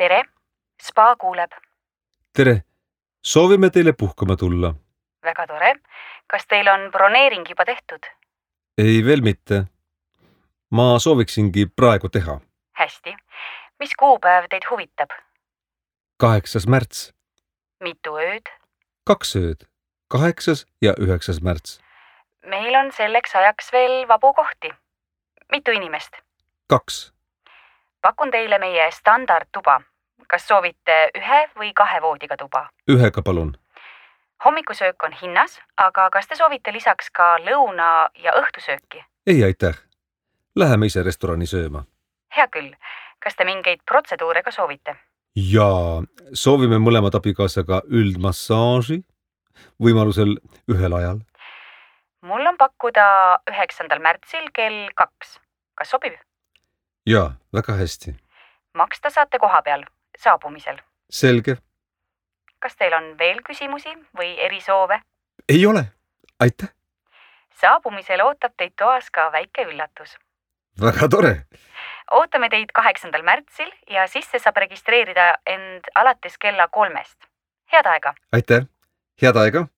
Tere, spa kuuleb. Tere, soovime teile puhkama tulla. Väga tore. Kas teil on broneering juba tehtud? Ei veel mitte. Ma sooviksingi praegu teha. Hästi. Mis kuupäev teid huvitab? 8. märts. Mitu ööd? 2 ööd. 8. ja 9. märts. Meil on selleks ajaks veel vabu kohti. Mitu inimest? 2. Pakun teile meie standardtuba. Kas soovite 1 või 2 voodiga tuba? 1 palun. Hommikusöök on hinnas, aga kas te soovite lisaks ka lõuna- ja õhtusööki? Ei aitäh. Läheme ise restorani sööma. Hea küll. Kas te mingeid protseduure ka soovite? Ja soovime mõlemad abikaasaga üldmassaaži, võimalusel ühel ajal. Mul on pakkuda 9. märtsil kell 2. Kas sobib? Ja, väga hästi. Maksta saate koha peal, saabumisel. Selge. Kas teil on veel küsimusi või erisoove? Ei ole. Aitäh. Saabumisel ootab teid toas ka väike üllatus. Väga tore. Ootame teid 8. märtsil ja sisse saab registreerida end alates kella 3. Head aega! Aitäh. Head aega.